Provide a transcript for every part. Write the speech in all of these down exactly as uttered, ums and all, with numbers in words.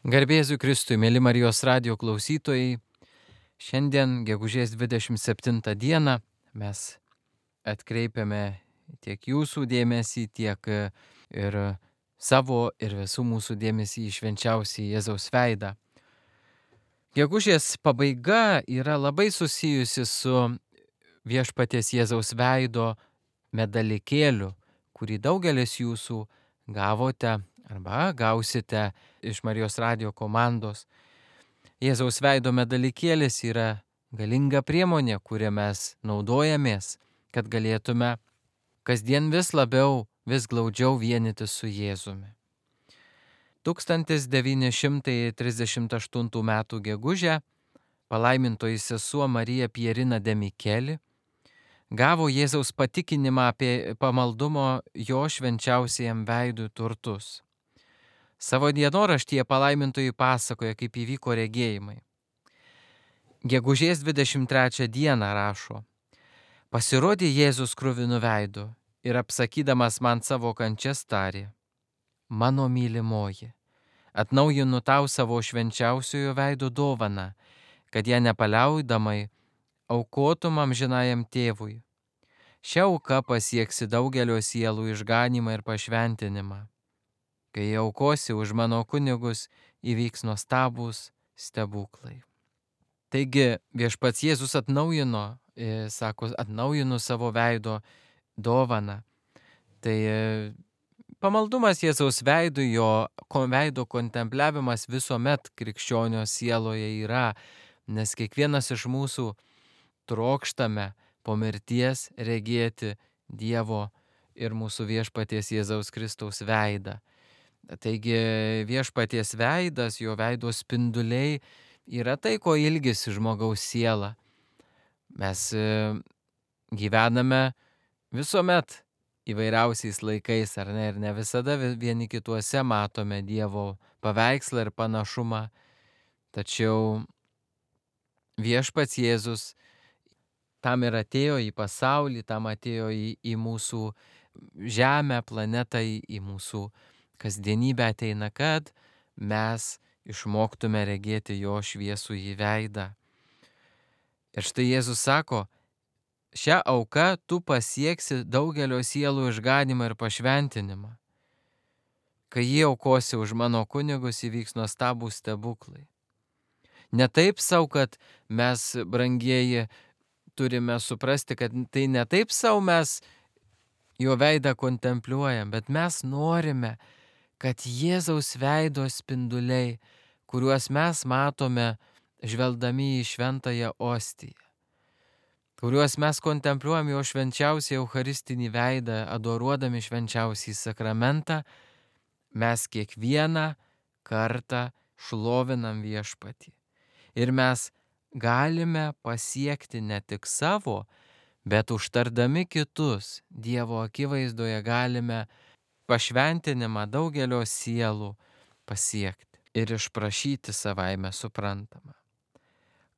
Garbė Jėzui Kristui, mėly Marijos radijo klausytojai, šiandien, gegužės dvidešimt septintą dieną, mes atkreipiame tiek jūsų dėmesį, tiek ir savo ir visų mūsų dėmesį į švenčiausią Jėzaus veidą. Gegužės pabaiga yra labai susijusi su viešpaties Jėzaus veido medalikėliu, kurį daugelis jūsų gavote arba gausite iš Marijos radijo komandos. Jėzaus veido medalikėlis yra galinga priemonė, kurią mes naudojamės, kad galėtume kasdien vis labiau, vis glaudžiau vienytis su Jėzumi. tūkstantis devyni šimtai trisdešimt aštuntų metų gegužę palaimintoji sesuo Marija Pierina de Micheli gavo Jėzaus patikinimą apie pamaldumo jo švenčiausiajam veidui turtus. Savo dienoraštyje palaimintoji pasakoja, kaip įvyko regėjimai. Gegužės dvidešimt trečią dieną rašo: pasirodė Jėzus kruvinu veidu ir apsakydamas man savo kančias tarė: mano mylimoji, atnaujinu tau savo švenčiausiojo veido dovaną, kad ją nepaliaudamai aukotum amžinajam tėvui. Šia auka pasieksi daugelio sielų išganymą ir pašventinimą. Kai aukosi už mano kunigus, įvyks nuostabūs stebuklai. Taigi viešpats Jėzus atnaujino, sako, atnaujinu savo veido dovaną. Tai pamaldumas Jėzaus veidui, jo veido kontempliavimas visuomet krikščionio sieloje yra, nes kiekvienas iš mūsų trokštame po mirties regėti Dievo ir mūsų viešpaties Jėzaus Kristaus veidą. Taigi viešpaties veidas, jo veido spinduliai yra tai, ko ilgisi žmogaus siela. Mes gyvename visuomet įvairiausiais laikais, ar ne, ir ne visada vieni kituose matome Dievo paveikslą ir panašumą. Tačiau viešpats Jėzus tam ir atėjo į pasaulį, tam atėjo į, į mūsų žemę, planetą, į, į mūsų kasdienybę ateina, kad mes išmoktume regėti jo šviesų į veidą. Ir štai Jėzus sako: šią auką tu pasieksi daugelio sielų išganymą ir pašventinimą. Kai jį aukosi už mano kunigus, įvyks nuostabūs stebuklai. Ne taip savo, kad mes, brangieji, turime suprasti, kad tai ne taip savo mes jo veidą kontempliuojam, bet mes norime, kad Jėzaus veido spinduliai, kuriuos mes matome žvelgdami į šventąją ostiją, kuriuos mes kontempliuojam jo švenčiausią eucharistinį veidą, adoruodami švenčiausią sakramentą, mes kiekvieną kartą šlovinam viešpatį. Ir mes galime pasiekti ne tik savo, bet užtardami kitus Dievo akivaizdoje galime pašventinimą daugelio sielų pasiekti ir išprašyti savaime suprantama.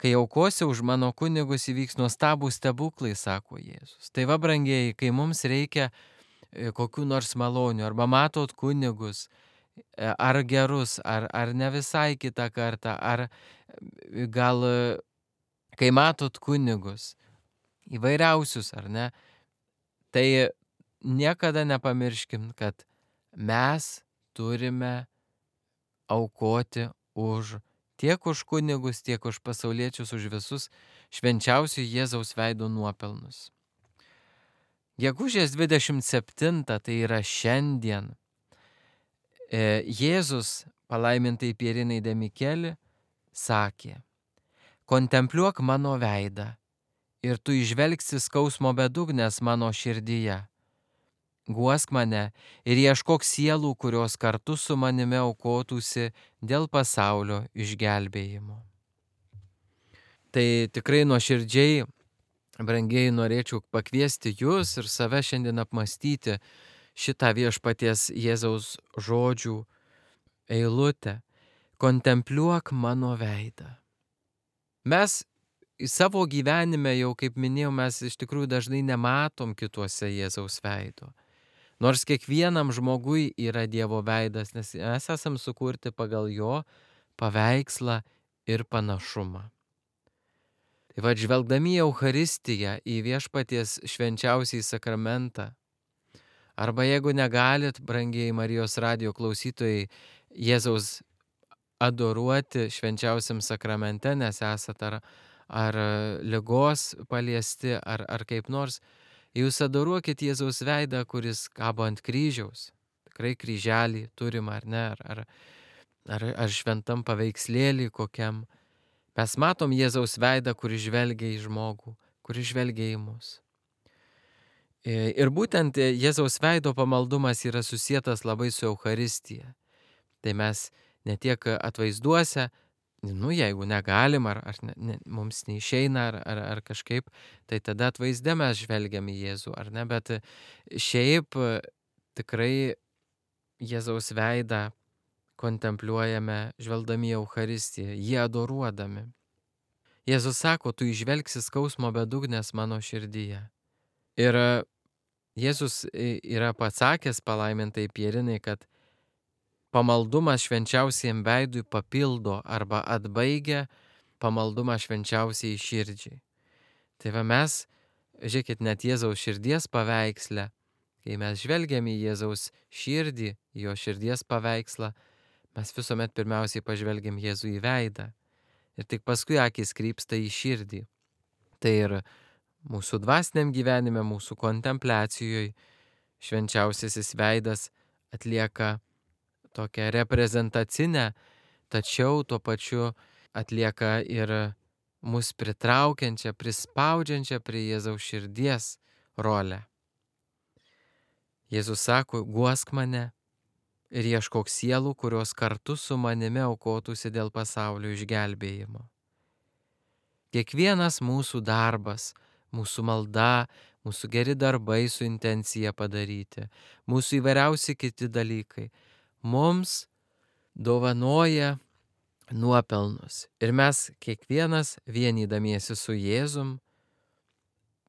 Kai aukosi už mano kunigus, įvyks nuostabūs stebuklai, sako Jėzus. Tai va, brangieji, kai mums reikia kokių nors malonių, arba matot kunigus, ar gerus, ar, ar ne visai kitą kartą, ar gal kai matot kunigus, įvairiausius, ar ne, tai niekada nepamirškim, kad mes turime aukoti už tiek už kunigus, tiek už pasauliečius, už visus švenčiausių Jėzaus veido nuopelnus. Gegužės dvidešimt septintą, tai yra šiandien, Jėzus palaimintai Pierinai de Micheli sakė: kontempliuok mano veidą ir tu įžvelgsi skausmo bedugnės mano širdyje. Guosk mane ir ieškok sielų, kurios kartu su manimi aukotųsi dėl pasaulio išgelbėjimo. Tai tikrai nuoširdžiai, brangieji, norėčiau pakviesti jūs ir save šiandien apmastyti šitą viešpaties Jėzaus žodžių eilutę: kontempliuok mano veidą. Mes į savo gyvenime, jau kaip minėjau, mes iš tikrųjų dažnai nematom kituose Jėzaus veido. Nors kiekvienam žmogui yra Dievo veidas, nes mes esam sukurti pagal jo paveikslą ir panašumą. Tai va, žvelgdami į Eucharistiją, į viešpaties švenčiausiąjį sakramentą, arba jeigu negalit, brangiai Marijos radijo klausytojai, Jėzaus adoruoti švenčiausiam sakramente, nes esat ar, ar ligos paliesti, ar, ar kaip nors, jūs adoruokit Jėzaus veidą, kuris kabo ant kryžiaus. Tikrai kryželį turim, ar ne, ar, ar, ar, ar šventam paveikslėlį kokiam. Mes matom Jėzaus veidą, kuris žvelgia į žmogų, kuris žvelgia į mus. Ir būtent Jėzaus veido pamaldumas yra susietas labai su Eucharistija. Tai mes ne tiek atvaizduose, nu jeigu negalim, ar, ar ne, ne, mums neišeina, ar, ar, ar kažkaip, tai tada atvaizde mes žvelgiam į Jėzų, ar ne, bet šiaip tikrai Jėzaus veidą kontempliuojame žvelgdami į Eucharistiją, jį adoruodami. Jėzus sako, tu įžvelgsi skausmo bedugnės mano širdyje. Ir Jėzus yra pasakęs palaimintai Pierinai, kad pamaldumas švenčiausiam veidui papildo arba atbaigia pamaldumą švenčiausiai širdžiai. Tai va mes, žiūrėkit, net Jėzaus širdies paveiksle, kai mes žvelgiam į Jėzaus širdį, jo širdies paveikslą, mes visuomet pirmiausiai pažvelgiam Jėzų į veidą. Ir tik paskui akis krypsta į širdį. Tai ir mūsų dvasiniam gyvenime, mūsų kontempliacijoje švenčiausiasis veidas atlieka tokią reprezentacinę, tačiau tuo pačiu atlieka ir mus pritraukiančią, prispaudžiančią prie Jėzaus širdies rolę. Jėzus sako, guosk mane ir ieškok sielų, kurios kartu su manimi aukotųsi dėl pasaulio išgelbėjimo. Kiekvienas mūsų darbas, mūsų malda, mūsų geri darbai su intencija padaryti, mūsų įvairiausi kiti dalykai mums dovanoja nuopelnus. Ir mes kiekvienas vienydamiesi su Jėzum,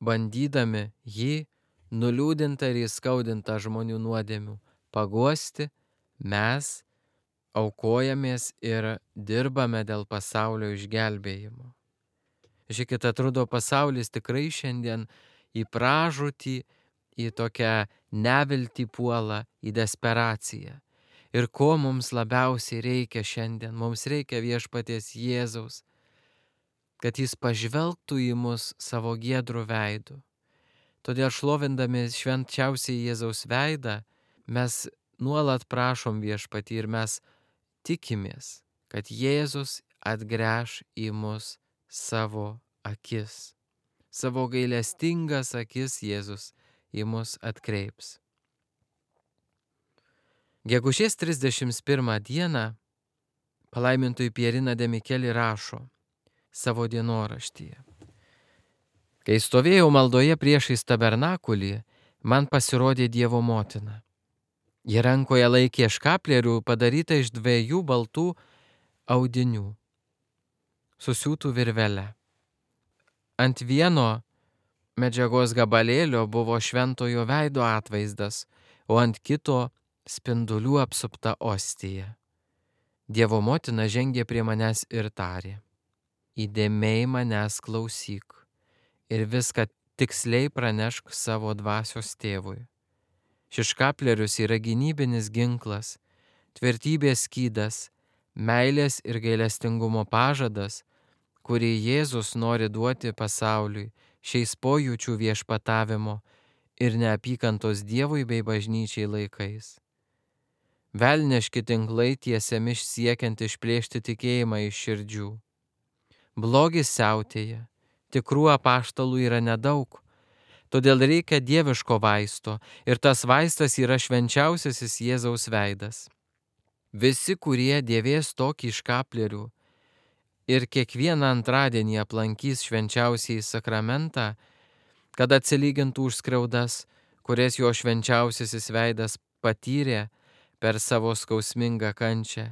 bandydami jį nuliūdintą ir įskaudintą žmonių nuodėmių paguosti, mes aukojamės ir dirbame dėl pasaulio išgelbėjimo. Žiūrėkit, atrodo, pasaulis tikrai šiandien į pražūtį, į tokią neviltį puola, į desperaciją. Ir ko mums labiausiai reikia šiandien? Mums reikia viešpaties Jėzaus, kad jis pažvelgtų į mus savo giedrų veidų. Todėl šlovindami švenčiausiai Jėzaus veidą, mes nuolat prašom viešpatį ir mes tikimės, kad Jėzus atgręš į mus savo akis. Savo gailestingas akis Jėzus į mus atkreips. Gegužės trisdešimt pirmą dieną palaimintoji Pierina de Micheli rašo savo dienoraštyje. Kai stovėjau maldoje priešais tabernakulį, man pasirodė Dievo motina. Ji rankoje laikė škaplierių padarytą iš dviejų baltų audinių, susiūtų virvele. Ant vieno medžiagos gabalėlio buvo šventojo veido atvaizdas, o ant kito spindulių apsupta ostija. Dievo motina žengė prie manęs ir tarė: įdėmiai manęs klausyk ir viską tiksliai pranešk savo dvasios tėvui. Šis škaplierius yra gynybinis ginklas, tvirtybės skydas, meilės ir gailestingumo pažadas, kurį Jėzus nori duoti pasauliui šiais pojūčių viešpatavimo ir neapykantos Dievui bei bažnyčiai laikais. Velniški tinklai tiesiami siekiant išplėšti tikėjimą iš širdžių. Blogis siautėja, tikrų apaštalų yra nedaug, todėl reikia dieviško vaisto ir tas vaistas yra švenčiausiasis Jėzaus veidas. Visi, kurie dėvės tokį škaplierių ir kiekvieną antradienį aplankys švenčiausiai sakramentą, kad atsilygintų už skriaudas, kurias jo švenčiausiasis veidas patyrė per savo skausmingą kančią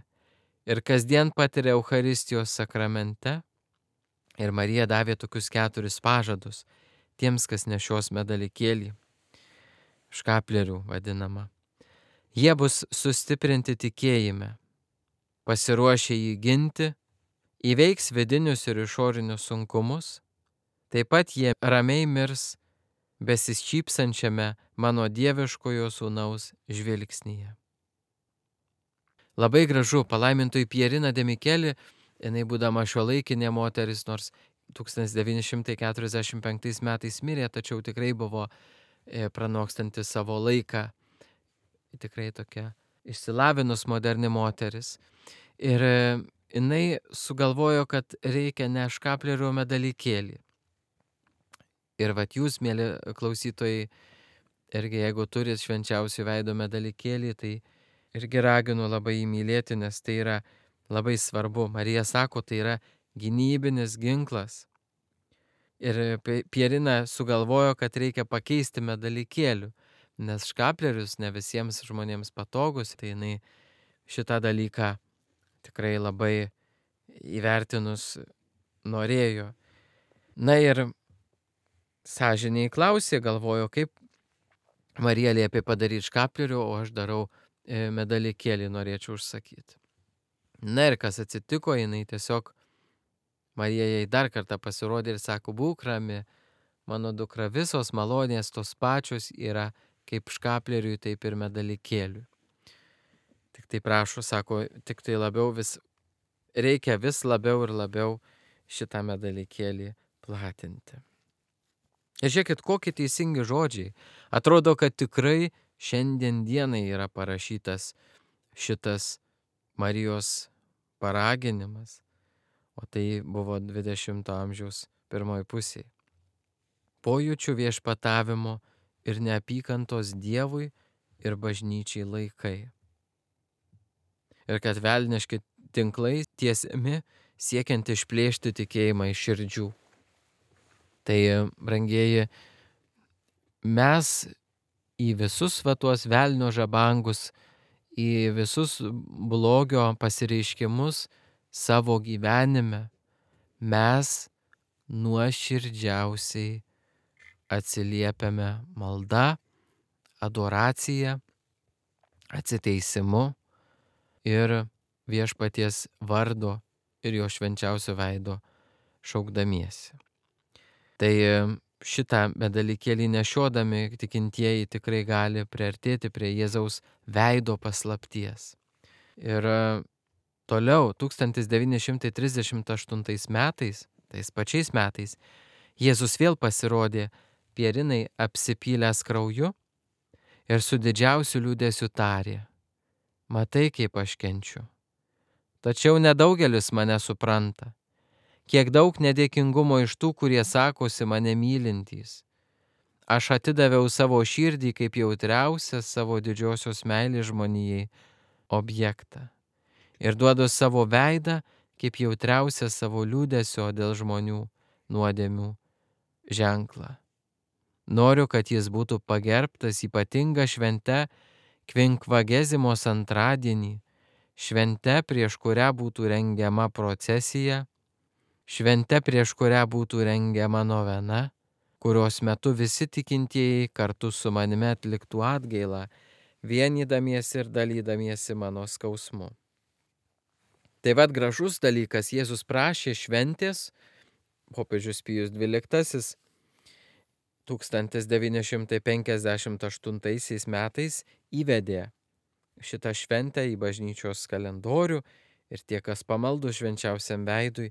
ir kasdien patiria Eucharistijos sakramente. Ir Marija davė tokius keturis pažadus tiems, kas nešios medalikėlį, škaplierių vadinama. Jie bus sustiprinti tikėjime, pasiruošę jį ginti, įveiks vidinius ir išorinius sunkumus, taip pat jie ramiai mirs besišypsančiame mano dieviškojo sūnaus žvilgsnyje. Labai gražu, palaimintoji Pierina de Micheli, jinai būdama šiuolaikinė moteris, nors tūkstantis devyni šimtai keturiasdešimt penktais metais mirė, tačiau tikrai buvo pranokstanti savo laiką, tikrai tokia išsilavinus moderni moteris. Ir jinai sugalvojo, kad reikia ne škaplerio medalykėlį. Ir vat jūs, mėly klausytojai, irgi jeigu turit švenčiausio veido medalykėlį, tai irgi raginu labai jį mylėti, nes tai yra labai svarbu. Marija sako, tai yra gynybinis ginklas. Ir Pierina sugalvojo, kad reikia pakeisti medalykėlių, nes škaplerius ne visiems žmonėms patogus, tai jinai šitą dalyką tikrai labai įvertinus norėjo. Na ir sąžiniai klausė, galvojo, kaip Marija liepė padaryti škaplerių, o aš darau medalykėlį, norėčiau užsakyti. Na ir kas atsitiko, jinai tiesiog, Marija jai dar kartą pasirodė ir sako, būk rami, mano dukra, visos malonės tos pačios yra kaip škapleriui, taip ir medalykėliui. Tik tai prašo, sako, tik tai labiau vis, reikia vis labiau ir labiau šitą medalykėlį platinti. Ir žiūrėkit, kokie teisingi žodžiai. Atrodo, kad tikrai šiandien dienai yra parašytas šitas Marijos paraginimas, o tai buvo dvidešimto amžiaus pirmoji pusė. Pojūčių viešpatavimo ir neapykantos Dievui ir bažnyčiai laikai. Ir kad velniški tinklai tiesiami siekiant išplėšti tikėjimą iš širdžių. Tai, brangieji, mes į visus va tuos velnio žabangus, į visus blogio pasireiškimus savo gyvenime mes nuoširdžiausiai atsiliepiame malda, adoracija, atsiteisimu ir viešpaties vardo ir jo švenčiausio veido šaukdamiesi. Tai šitą medalykėlį nešiodami tikintieji tikrai gali priartėti prie Jėzaus veido paslapties. Ir toliau, tūkstantis devyni šimtai trisdešimt aštuntais metais, tais pačiais metais, Jėzus vėl pasirodė Pierinai apsipylęs krauju ir su didžiausiu liūdesiu tarė, matai, kaip aš kenčiu. Tačiau nedaugelis mane supranta. Kiek daug nedėkingumo iš tų, kurie sakosi mane mylintys. Aš atidaviau savo širdį kaip jautriausią savo didžiosios meilės žmonijai objektą. Ir duodu savo veidą kaip jautriausią savo liūdesio dėl žmonių nuodėmių ženklą. Noriu, kad jis būtų pagerbtas ypatinga švente Kvinkvagezimos antradienį, švente, prieš kurią būtų rengiama procesija, švente, prieš kurią būtų rengiama novena, kurios metu visi tikintieji kartu su manimi atliktų atgailą, vienydamiesi ir dalydamiesi mano skausmu. Tai vad gražus dalykas, Jėzus prašė šventės, popiežius Pijus dvyliktasis tūkstantis devyni šimtai penkiasdešimt aštuntaisiais metais įvedė šitą šventę į bažnyčios kalendorių ir tie, kas pamaldų švenčiausiam veidui,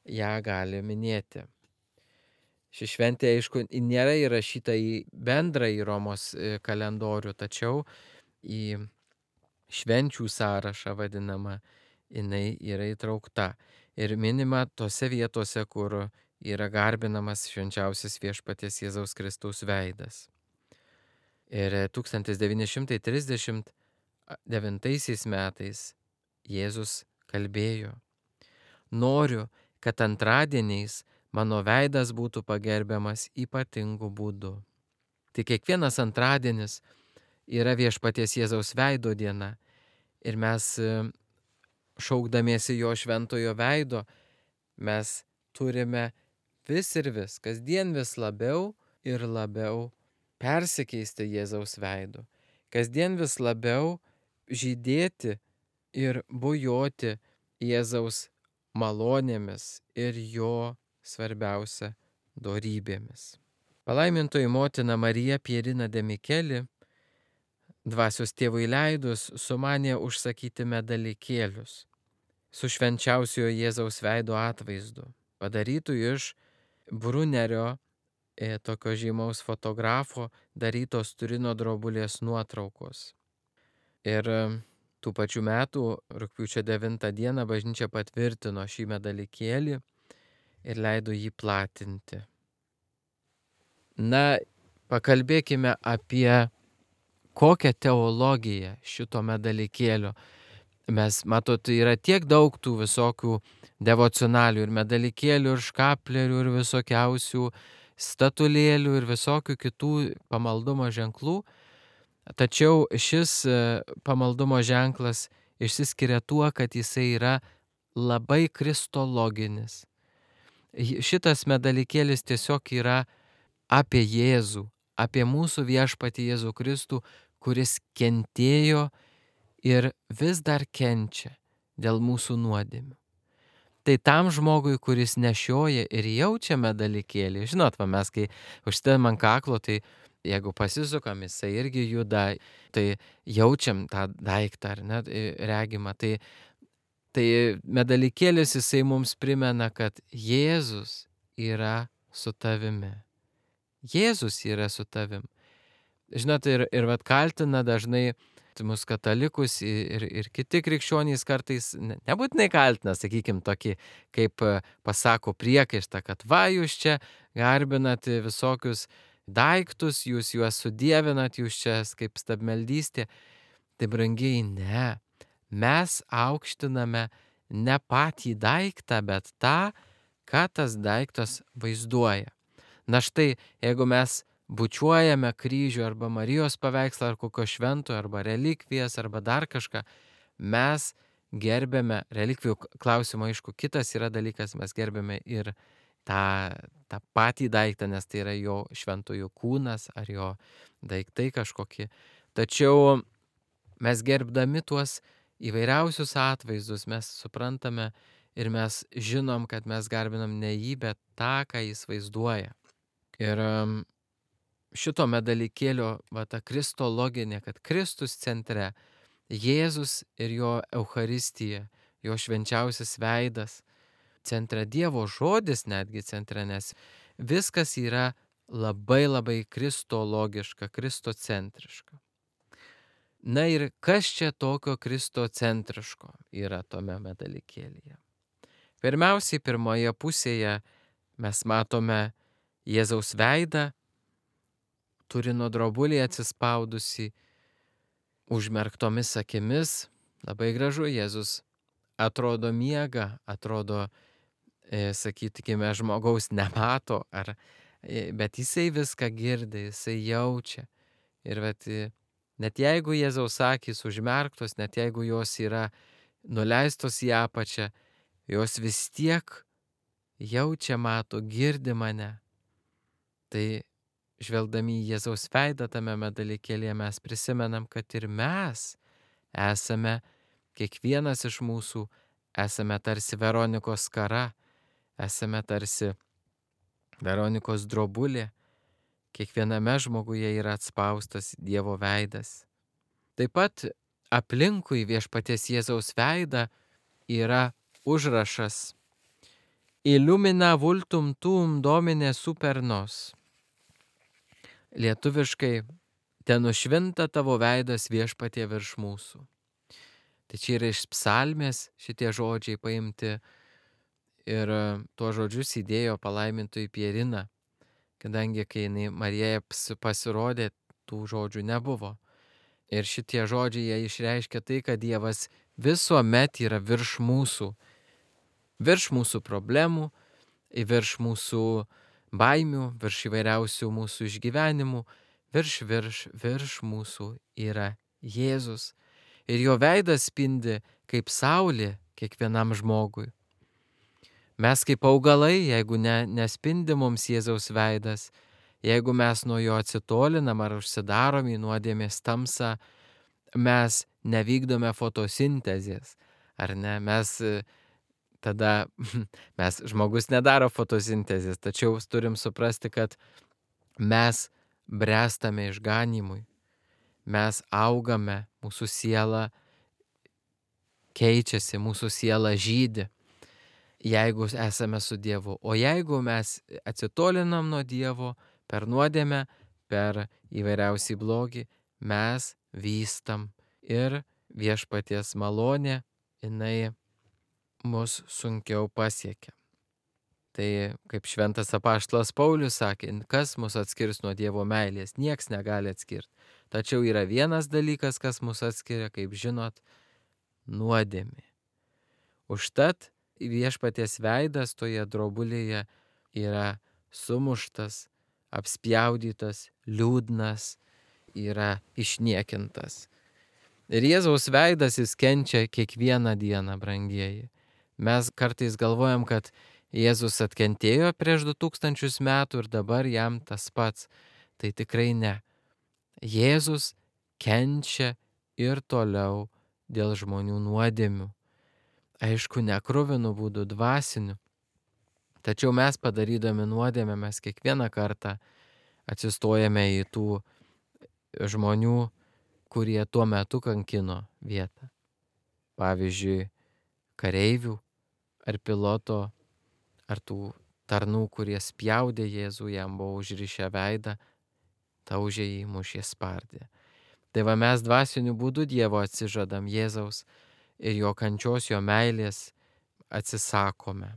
ją gali minėti. Ši šventė, aišku, nėra įrašyta į bendrąjį Romos kalendorių, tačiau į švenčių sąrašą vadinamą jinai yra įtraukta ir minima tose vietose, kur yra garbinamas švenčiausias viešpaties Jėzaus Kristaus veidas. Ir tūkstantis devyni šimtai trisdešimt devintaisiais metais Jėzus kalbėjo, noriu, kad antradieniais mano veidas būtų pagerbiamas ypatingu būdu. Tai kiekvienas antradienis yra viešpaties Jėzaus veido diena ir mes šaukdamiesi jo šventojo veido, mes turime vis ir vis, kasdien vis labiau ir labiau persikeisti Jėzaus veidu, kasdien vis labiau žydėti ir bujoti Jėzaus malonėmis ir jo svarbiausia dorybėmis. Palaimintoji motina Marija Pierina de Micheli, dvasios tėvui leidus, sumanė užsakyti medalikėlius su švenčiausiojo Jėzaus veido atvaizdu, padarytų iš Brunerio, e, tokio žymaus fotografo, darytos Turino drobulės nuotraukos. Ir e, tų pačių metų rugpjūčio devintą dieną bažnyčia patvirtino šį medalikėlį ir leido jį platinti. Na, pakalbėkime apie kokią teologiją šito medalikėlio. Mes, matot, yra tiek daug tų visokių devocionalių ir medalikėlių, ir škaplerių, ir visokiausių statulėlių, ir visokių kitų pamaldumo ženklų. Tačiau šis pamaldumo ženklas išsiskiria tuo, kad jisai yra labai kristologinis. Šitas medalikėlis tiesiog yra apie Jėzų, apie mūsų viešpatį Jėzų Kristų, kuris kentėjo ir vis dar kenčia dėl mūsų nuodėmių. Tai tam žmogui, kuris nešioja ir jaučia medalikėlį, žinot, va, mes kai užsidedam ant kaklo, tai jeigu pasisukam, jisai irgi juda, tai jaučiam tą daiktą, ar ne, regimą. Tai, tai medalikėlis jisai mums primena, kad Jėzus yra su tavimi. Jėzus yra su tavim. Žinot, ir, ir vat kaltina dažnai mus katalikus ir, ir kiti krikščionys kartais, nebūtinai kaltina, sakykim, tokį, kaip pasako priekaištą, kad va, jūs čia garbinat visokius daiktus, jūs juos sudievinat, jūs čia kaip stabmeldystė. Tai brangiai, ne. Mes aukštiname ne patį daiktą, bet tą, ką tas daiktas vaizduoja. Na štai, jeigu mes bučiuojame kryžių arba Marijos paveikslą ar kokio šventojo arba relikvijas arba dar kažką, mes gerbėme relikvijų klausimą, aišku, kitas yra dalykas, mes gerbėme ir tą, tą patį daiktą, nes tai yra jo šventojo kūnas ar jo daiktai kažkokie. Tačiau mes gerbdami tuos įvairiausius atvaizdus, mes suprantame ir mes žinom, kad mes garbinam ne jį, bet tą, ką jis vaizduoja. Ir šito medalikėlio, va, ta kristologinė, kad Kristus centre, Jėzus ir jo Eucharistija, jo švenčiausias veidas, centre Dievo žodis netgi centre, nes viskas yra labai labai kristologiška, kristocentriška. Na ir kas čia tokio kristocentriško yra tome medalikėlyje? Pirmiausiai, pirmoje pusėje mes matome Jėzaus veidą, Turino drobulį atsispaudusi, užmerktomis akimis, labai gražu, Jėzus atrodo miega, atrodo, e, sakykime, žmogaus nemato, ar, e, bet jisai viską girdi, jisai jaučia. Ir vat, net jeigu Jėzaus akys užmerktos, net jeigu jos yra nuleistos į apačią, jos vis tiek jaučia, mato, girdi mane. Tai žvelgdami į Jėzaus veidą tame medalikėlyje mes prisimenam, kad ir mes esame, kiekvienas iš mūsų esame tarsi Veronikos skara, esame tarsi Veronikos drobulė, kiekviename žmoguje yra atspaustas Dievo veidas. Taip pat aplinkui viešpaties Jėzaus veidą yra užrašas Illumina vultum tuum Domine super nos. Lietuviškai ten nušvinta tavo veidas viešpatie virš mūsų. Tai čia yra iš psalmės šitie žodžiai paimti ir tuos žodžius įdėjo palaimintoji Pierina, kadangi kai jinai Marijai pasirodė, tų žodžių nebuvo. Ir šitie žodžiai jie išreiškia tai, kad Dievas visuomet yra virš mūsų, virš mūsų problemų, virš mūsų baimių, virš įvairiausių mūsų išgyvenimų, virš, virš, virš mūsų yra Jėzus. Ir jo veidas spindi kaip saulė kiekvienam žmogui. Mes kaip augalai, jeigu ne, nespindi mums Jėzaus veidas, jeigu mes nuo jo atsitolinam ar užsidarom į nuodėmės tamsą, mes nevykdome fotosintezės, ar ne? Mes tada, mes žmogus nedaro fotosintezės, tačiau turim suprasti, kad mes bręstame išganymui, mes augame, mūsų siela keičiasi, mūsų siela žydi, jeigu esame su Dievu. O jeigu mes atsitolinam nuo Dievo per nuodėmę, per įvairiausią blogį, mes vystam ir viešpaties malonė, jinai mus sunkiau pasiekia. Tai kaip šventas apaštalas Paulius sakė, kas mus atskirs nuo Dievo meilės, nieks negali atskirti. Tačiau yra vienas dalykas, kas mus atskiria, kaip žinot, nuodėmė. Užtat viešpaties veidas toje drobulėje yra sumuštas, apspjaudytas, liūdnas, yra išniekintas. Ir Jėzaus veidas jis kenčia kiekvieną dieną, brangieji. Mes kartais galvojam, kad Jėzus atkentėjo prieš du tūkstančius metų ir dabar jam tas pats. Tai tikrai ne. Jėzus kenčia ir toliau dėl žmonių nuodėmių. Aišku, ne kruvinų būdų, dvasinių. Tačiau mes padarydami nuodėmę, mes kiekvieną kartą atsistojame į tų žmonių, kurie tuo metu kankino vietą. Pavyzdžiui, kareivių ar piloto, ar tų tarnų, kurie spjaudė Jėzų, jam buvo užrišę veidą, taužė jį, mušė, spardė. Tai va mes dvasiniu būdu Dievo atsižadam Jėzaus ir jo kančios, jo meilės atsisakome.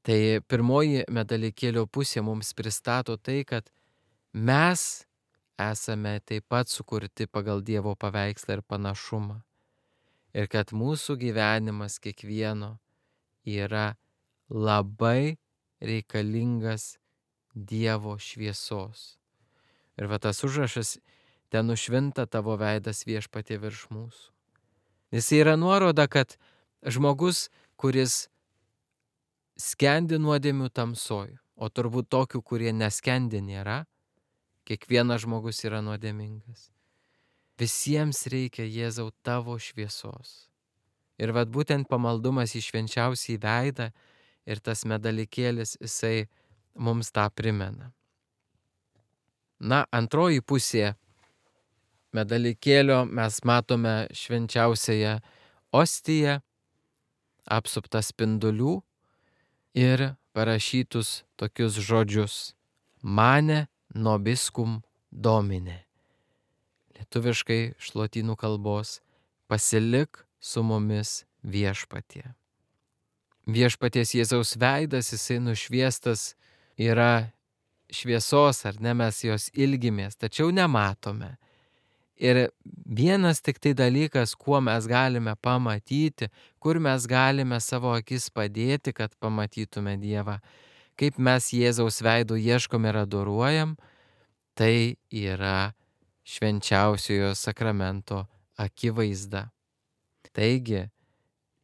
Tai pirmoji medalikėlio pusė mums pristato tai, kad mes esame taip pat sukurti pagal Dievo paveikslą ir panašumą. Ir kad mūsų gyvenimas kiekvieno yra labai reikalingas Dievo šviesos. Ir va tas užrašas, ten nušvinta tavo veidas viešpatie virš mūsų. Jis yra nuoroda, kad žmogus, kuris skendi nuodėmių tamsoj, o turbūt tokių, kurie neskendi nėra, kiekvienas žmogus yra nuodėmingas. Visiems reikia Jėzau tavo šviesos. Ir vat būtent pamaldumas į švenčiausią veidą ir tas medalikėlis, jisai mums tą primena. Na, antroji pusė medalikėlio mes matome švenčiausiąją ostiją, apsuptą spindulių ir parašytus tokius žodžius: Mane nobiscum Domine. Lietuviškai iš lotynų kalbos: pasilik su mumis viešpatie. Viešpaties Jėzaus veidas, jisai nušviestas yra šviesos, ar ne, mes jos ilgimės, tačiau nematome. Ir vienas tik tai dalykas, kuo mes galime pamatyti, kur mes galime savo akis padėti, kad pamatytume Dievą, kaip mes Jėzaus veidų ieškom ir adoruojam, tai yra švenčiausiojo sakramento akivaizda. Taigi,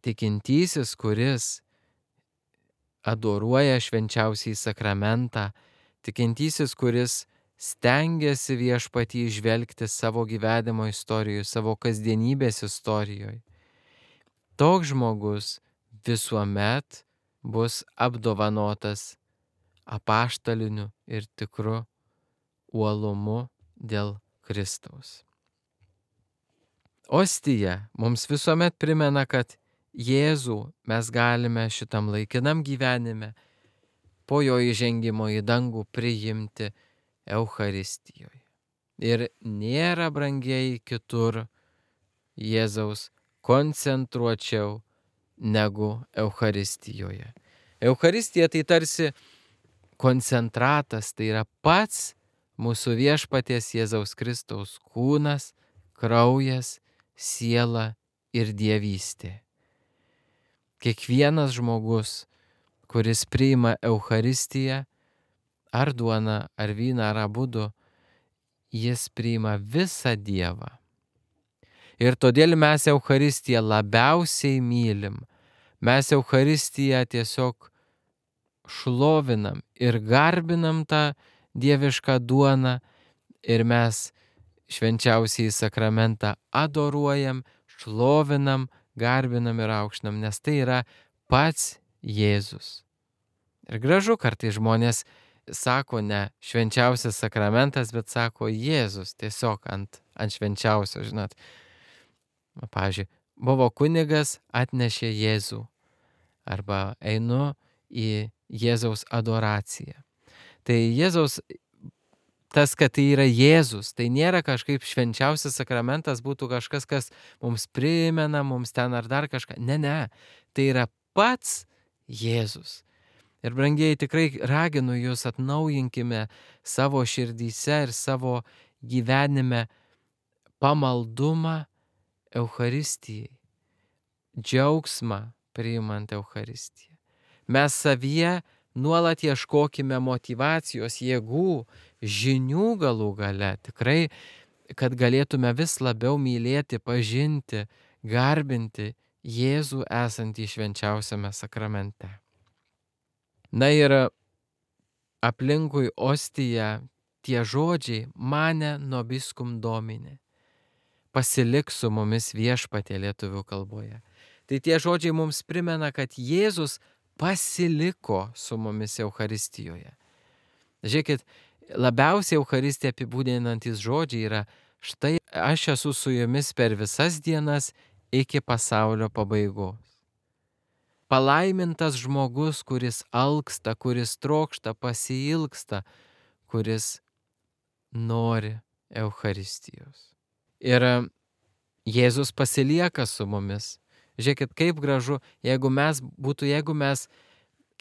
tikintysis, kuris adoruoja švenčiausiąjį sakramentą, tikintysis, kuris stengiasi viešpatį įžvelgti savo gyvenimo istorijoje, savo kasdienybės istorijoje, toks žmogus visuomet bus apdovanotas apaštaliniu ir tikru uolumu dėl Kristaus. Ostija mums visuomet primena, kad Jėzų mes galime šitam laikinam gyvenime po jo įžengimo į dangų priimti Eucharistijoje. Ir nėra, brangieji, kitur Jėzaus koncentruočiau negu Eucharistijoje. Eucharistija tai tarsi koncentratas, tai yra pats mūsų viešpaties Jėzaus Kristaus kūnas, kraujas, siela ir dievystė. Kiekvienas žmogus, kuris priima Eucharistiją, ar duoną, ar vyną, ar abudu, jis priima visą Dievą. Ir todėl mes Eucharistiją labiausiai mylim. Mes Eucharistiją tiesiog šlovinam ir garbinam tą dievišką duoną ir mes švenčiausiąjį sakramentą adoruojam, šlovinam, garbinam ir aukštinam, nes tai yra pats Jėzus. Ir gražu, kartais žmonės sako ne švenčiausias sakramentas, bet sako Jėzus tiesiog ant, ant švenčiausio, žinot. Pavyzdžiui, buvo kunigas, atnešė Jėzų. Arba einu į Jėzaus adoraciją. Tai Jėzaus, tas, kad tai yra Jėzus, tai nėra kažkaip švenčiausias sakramentas, būtų kažkas, kas mums primena, mums ten ar dar kažką. Ne, ne, tai yra pats Jėzus. Ir brangieji, tikrai raginu jūs, atnaujinkime savo širdyse ir savo gyvenime pamaldumą Eucharistijai, džiaugsmą priimant Eucharistiją. Mes savyje nuolat ieškokime motyvacijos, jėgų, žinių galų gale, tikrai, kad galėtume vis labiau mylėti, pažinti, garbinti Jėzų esantį švenčiausiame sakramente. Na ir aplinkui ostiją tie žodžiai mane nobiscum Domine. Pasilik su mumis Viešpatie lietuvių kalboje. Tai tie žodžiai mums primena, kad Jėzus pasiliko su mumis Eucharistijoje. Žiūrėkit, labiausiai Eucharistiją apibūdinantis žodžiai yra: štai aš esu su jumis per visas dienas iki pasaulio pabaigos. Palaimintas žmogus, kuris alksta, kuris trokšta, pasiilgsta, kuris nori Eucharistijos. Ir Jėzus pasilieka su mumis. Žiūrėkit, kaip gražu, jeigu mes būtų, jeigu mes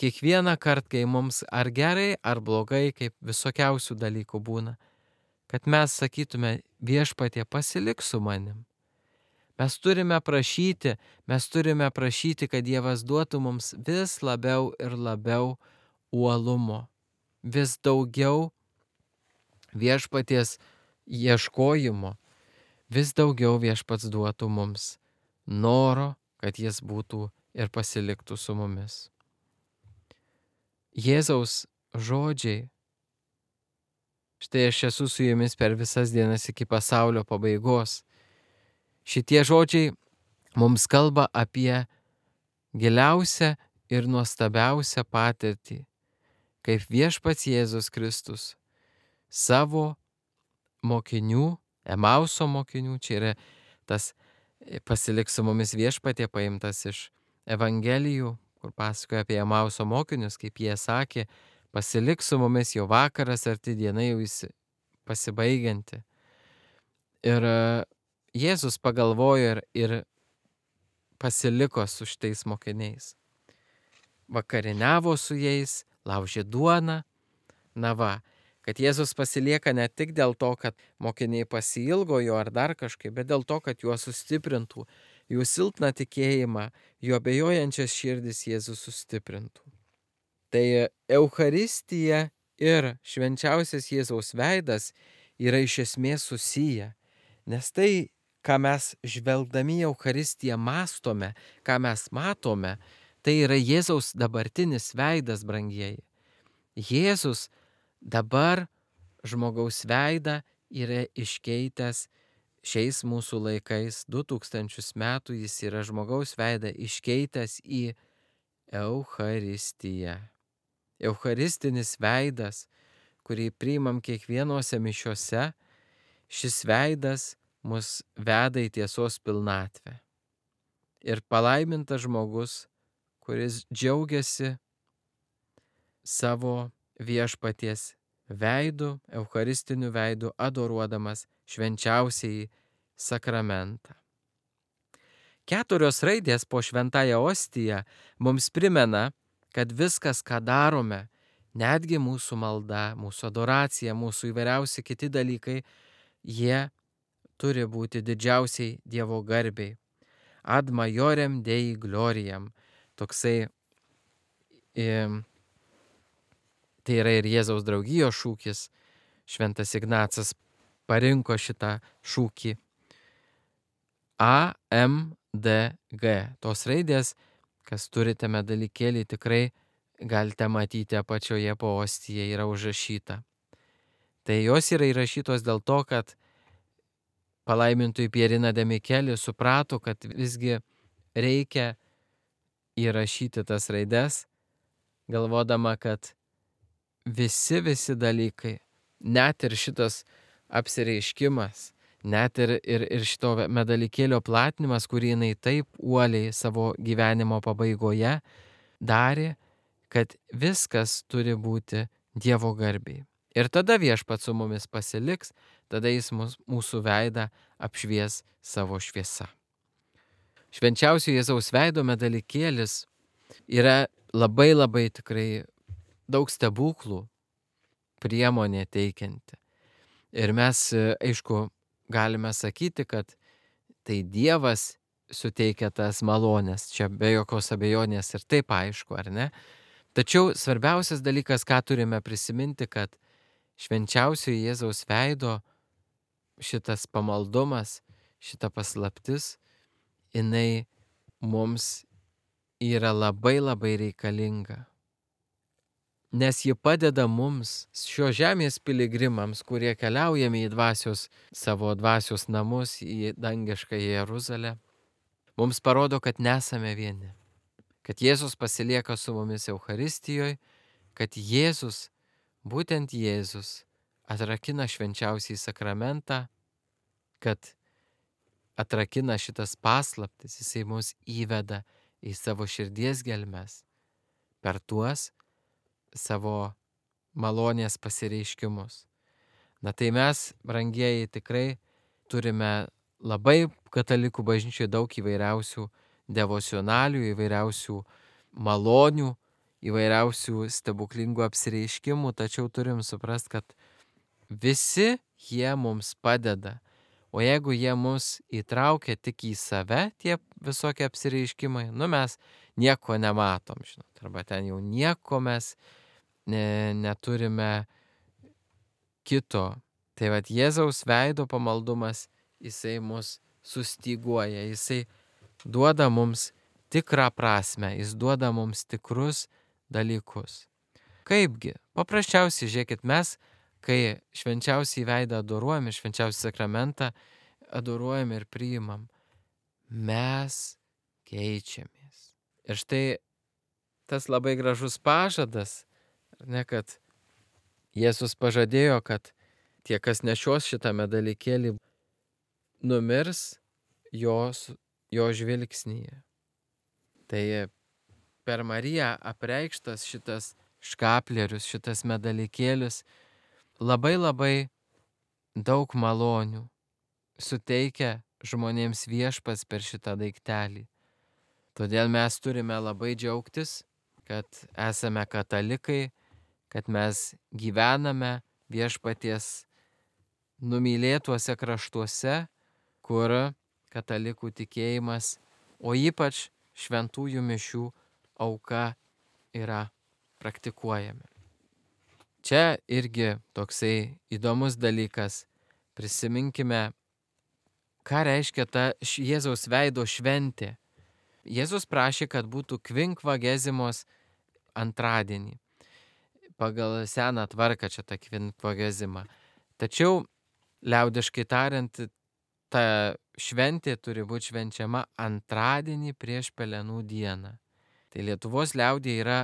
kiekvieną kartą, kai mums ar gerai, ar blogai, kaip visokiausių dalykų būna, kad mes sakytume: Viešpatie, pasilik su manim. Mes turime prašyti, mes turime prašyti, kad Dievas duotų mums vis labiau ir labiau uolumo, vis daugiau Viešpaties ieškojimo, vis daugiau Viešpats duotų mums noro, kad jis būtų ir pasiliktų su mumis. Jėzaus žodžiai: štai aš esu su jumis per visas dienas iki pasaulio pabaigos. Šitie žodžiai mums kalba apie giliausią ir nuostabiausią patirtį, kaip Viešpats Jėzus Kristus savo mokinių, Emauso mokinių, čia yra tas pasilik su mumis Viešpatie paimtas iš Evangelijų, kur pasakoja apie Emauso mokinius, kaip jie sakė: pasilik su mumis, jau vakaras arti, diena jau pasibaigianti. Ir Jėzus pagalvojo ir, ir pasiliko su šitais mokiniais. Vakarieniavo su jais, laužė duoną. Na va, kad Jėzus pasilieka ne tik dėl to, kad mokiniai pasiilgo jo ar dar kažkaip, bet dėl to, kad juos sustiprintų, jų silpną tikėjimą, jų abejojančias širdis Jėzus sustiprintų. Tai Eucharistija ir švenčiausias Jėzaus veidas yra iš esmės susiję, nes tai, ką mes žvelgdami į Eucharistiją mąstome, ką mes matome, tai yra Jėzaus dabartinis veidas, brangieji. Jėzus dabar žmogaus veidą yra iškeitęs šiais mūsų laikais, du tūkstančius metų jis yra žmogaus veidą iškeitęs į Eucharistiją. Eucharistinis veidas, kurį priimam kiekvienose mišiose, šis veidas mus veda į tiesos pilnatvę. Ir palaimintas žmogus, kuris džiaugiasi savo Viešpaties veidu, eucharistiniu veidu, adoruodamas švenčiausiąjį sakramentą. Keturios raidės po šventąją ostiją mums primena, kad viskas, ką darome, netgi mūsų malda, mūsų adoracija, mūsų įvairiausi kiti dalykai, jie turi būti didžiausiai Dievo garbei. Ad majorem Dei gloriam. Toksai, e, tai yra ir Jėzaus draugijos šūkis. Šventas Ignacas parinko šitą šūkį. A M D G. Tos raidės, kas turite medalykėlį, tikrai galite matyti apačioje po ostiją, yra užrašyta. Tai jos yra įrašytos dėl to, kad palaimintoji Pierina de Micheli suprato, kad visgi reikia įrašyti tas raides, galvodama, kad visi, visi dalykai, net ir šitas apsireiškimas, net ir, ir, ir šito medalikėlio platinimas, kurį jinai taip uoliai savo gyvenimo pabaigoje darė, kad viskas turi būti Dievo garbiai. Ir tada Viešpats su mumis pasiliks, tada jis mus, mūsų veidą apšvies savo šviesa. Švenčiausio Jėzaus veido medalikėlis yra labai labai tikrai daug stebuklų priemonė teikianti. Ir mes, aišku, galime sakyti, kad tai Dievas suteikia tas malonės, čia be jokios abejonės ir taip aišku, ar ne? Tačiau svarbiausias dalykas, ką turime prisiminti, kad švenčiausio Jėzaus veido šitas pamaldumas, šita paslaptis, jinai mums yra labai labai reikalinga. Nes ji padeda mums, šio žemės piligrimams, kurie keliaujame į dvasios, savo dvasios namus, į dangišką Jeruzalę, mums parodo, kad nesame vieni. Kad Jėzus pasilieka su mumis Eucharistijoje, kad Jėzus, būtent Jėzus, atrakina švenčiausiai sakramentą, kad atrakina šitas paslaptis, jisai mus įveda į savo širdies gelmes per tuos savo malonės pasireiškimus. Na tai mes, brangieji, tikrai turime labai katalikų bažnyčioje daug įvairiausių devocionalių, įvairiausių malonių, įvairiausių stebuklingų apsireiškimų, tačiau turim suprast, kad visi jie mums padeda. O jeigu jie mus įtraukia tik į save, tie visokie apsireiškimai, nu mes nieko nematom, žinot, arba ten jau nieko mes ne, neturime kito. Tai vat Jėzaus veido pamaldumas, jisai mus sustyguoja, jisai duoda mums tikrą prasme, jis duoda mums tikrus dalykus. Kaipgi? Paprasčiausiai, žiūrėkit, mes, kai švenčiausiai veidą adoruojame, švenčiausią sakramentą adoruojame ir priimam, mes keičiamės. Ir štai tas labai gražus pažadas, ne, kad Jėzus pažadėjo, kad tie, kas nešios šitą medalikėlį, numirs jos, jo žvilgsnyje. Tai per Mariją apreikštas šitas škaplerius, šitas medalikėlis labai labai daug malonių suteikia žmonėms Viešpats per šitą daiktelį. Todėl mes turime labai džiaugtis, kad esame katalikai, kad mes gyvename Viešpaties numylėtuose kraštuose, kur katalikų tikėjimas, o ypač šventųjų mišių auka yra praktikuojami. Čia irgi toksai įdomus dalykas. Prisiminkime, ką reiškia ta Jėzaus veido šventė. Jėzus prašė, kad būtų kvinkvagezimos antradienį. Pagal seną tvarką čia ta kvinkvagezima. Tačiau, liaudiškai tariant, ta šventė turi būti švenčiama antradienį prieš Pelenų dieną. Tai Lietuvos liaudėje yra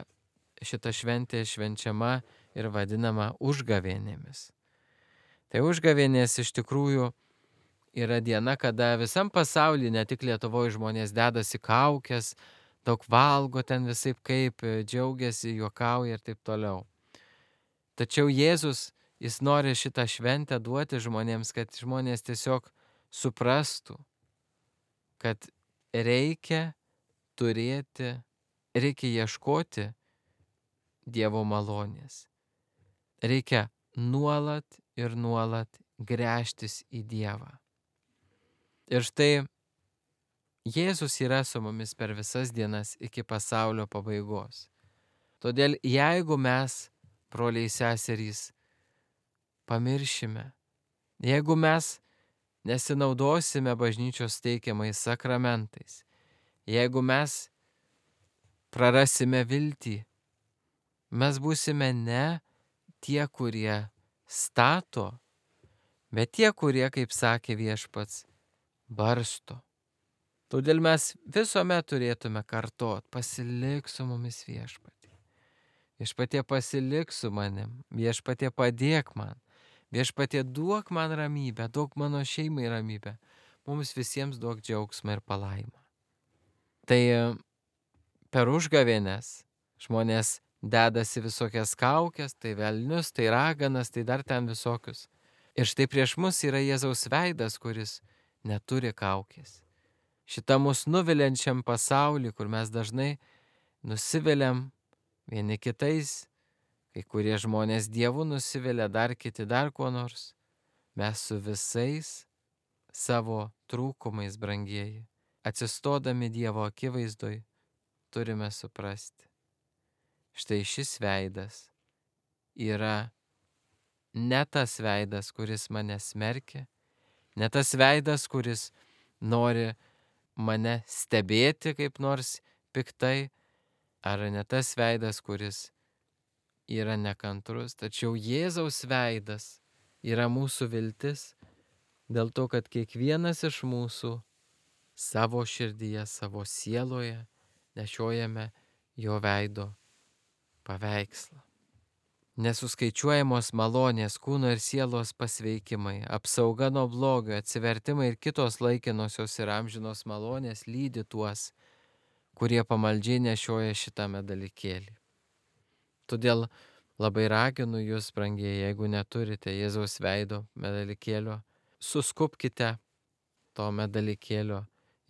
šita šventė švenčiama ir vadinama užgavėnėmis. Tai užgavėnės iš tikrųjų yra diena, kada visam pasaulyje, ne tik Lietuvoje, žmonės dedasi kaukės, daug valgo ten visaip kaip, džiaugiasi, juokauja ir taip toliau. Tačiau Jėzus, jis nori šitą šventę duoti žmonėms, kad žmonės tiesiog suprastų, kad reikia turėti, reikia ieškoti Dievo malonės. Reikia nuolat ir nuolat gręžtis į Dievą. Ir štai Jėzus yra su mumis per visas dienas iki pasaulio pabaigos. Todėl jeigu mes, broliai seserys, pamiršime, jeigu mes nesinaudosime bažnyčios teikiamais sakramentais, jeigu mes prarasime viltį, mes būsime ne tie, kurie stato, bet tie, kurie, kaip sakė Viešpats, barsto. Todėl mes visuomet turėtume kartot, pasilik su mumis Viešpatie. Viešpatie pasilik su manim, Viešpatie padėk man, Viešpatie duok man ramybę, duok mano šeimai ramybę, mums visiems duok džiaugsmą ir palaimą. Tai per užgavėnes žmonės dedasi visokias kaukes, tai velnius, tai raganas, tai dar ten visokius. Ir štai prieš mus yra Jėzaus veidas, kuris neturi kaukės. Šitą mus nuviliančiam pasaulį, kur mes dažnai nusiviliam vieni kitais, kai kurie žmonės Dievu nusivilia, dar kiti dar kuo nors. Mes su visais savo trūkumais, brangieji, atsistodami Dievo akivaizdoj, turime suprasti. Štai šis veidas yra ne tas veidas, kuris mane smerkia, ne tas veidas, kuris nori mane stebėti kaip nors piktai, ar ne tas veidas, kuris yra nekantrus, tačiau Jėzaus veidas yra mūsų viltis, dėl to, kad kiekvienas iš mūsų savo širdyje, savo sieloje nešiojame jo veido paveikslą. Nesuskaičiuojamos malonės, kūno ir sielos pasveikimai, apsauga nuo blogio, atsivertimai ir kitos laikinosios ir amžinos malonės lydi tuos, kurie pamaldžiai nešioja šitame dalykėlį. Todėl labai raginu jūs, brangieji, jeigu neturite Jėzaus veido medalikėlio, suskubkite to medalikėlio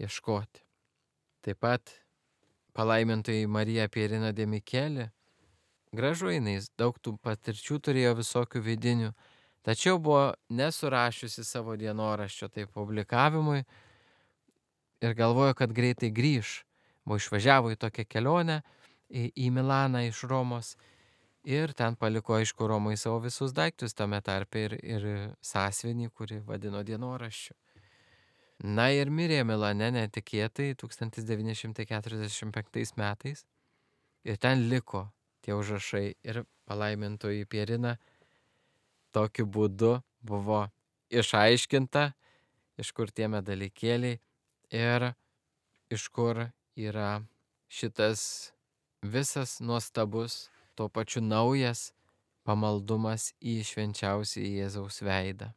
ieškoti. Taip pat palaimintoji Marija Pierina de Micheli, gražu jinai, daug tų patirčių turėjo visokių vidinių, tačiau buvo nesurašiusi savo dienoraščio tai publikavimui ir galvojo, kad greitai grįš. Buvo išvažiavo į tokią kelionę į, į Milaną iš Romos ir ten paliko, aišku, Romai savo visus daiktus, tame tarpe ir, ir sąsiuvinį, kurį vadino dienoraščiu. Na ir mirė Milane netikėtai tūkstantis devyni šimtai keturiasdešimt penktais metais ir ten liko tie užrašai ir palaimintoji Pierina tokiu būdu buvo išaiškinta, iš kur tie medalikėliai ir iš kur yra šitas visas nuostabus, tuo pačiu naujas pamaldumas į švenčiausią Jėzaus veidą.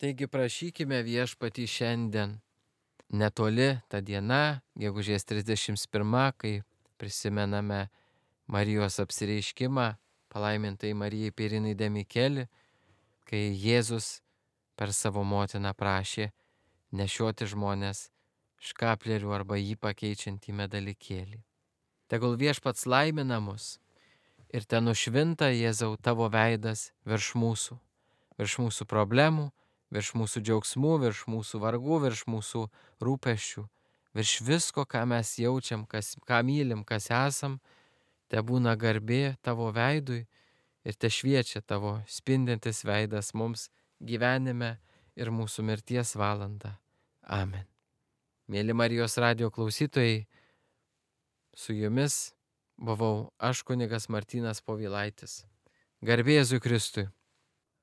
Taigi prašykime Viešpatį šiandien. Netoli ta diena, gegužės trisdešimt pirma, kai prisimename Marijos apsireiškimą, palaimintai Marijai Pierinai de Micheli, kai Jėzus per savo motiną prašė nešioti žmonės škaplerių arba jį pakeičiantį medalikėlį. Tegul Viešpats laimina mus ir ten nušvinta, Jėzau, tavo veidas virš mūsų, virš mūsų problemų, virš mūsų džiaugsmų, virš mūsų vargų, virš mūsų rūpesčių, virš visko, ką mes jaučiam, kas, ką mylim, kas esam, te būna garbė tavo veidui ir te šviečia tavo spindintis veidas mums gyvenime ir mūsų mirties valandą. Amen. Mėly Marijos radijo klausytojai, su jumis buvau aš, kunigas Martynas Povilaitis. Garbė Jėzui Kristui.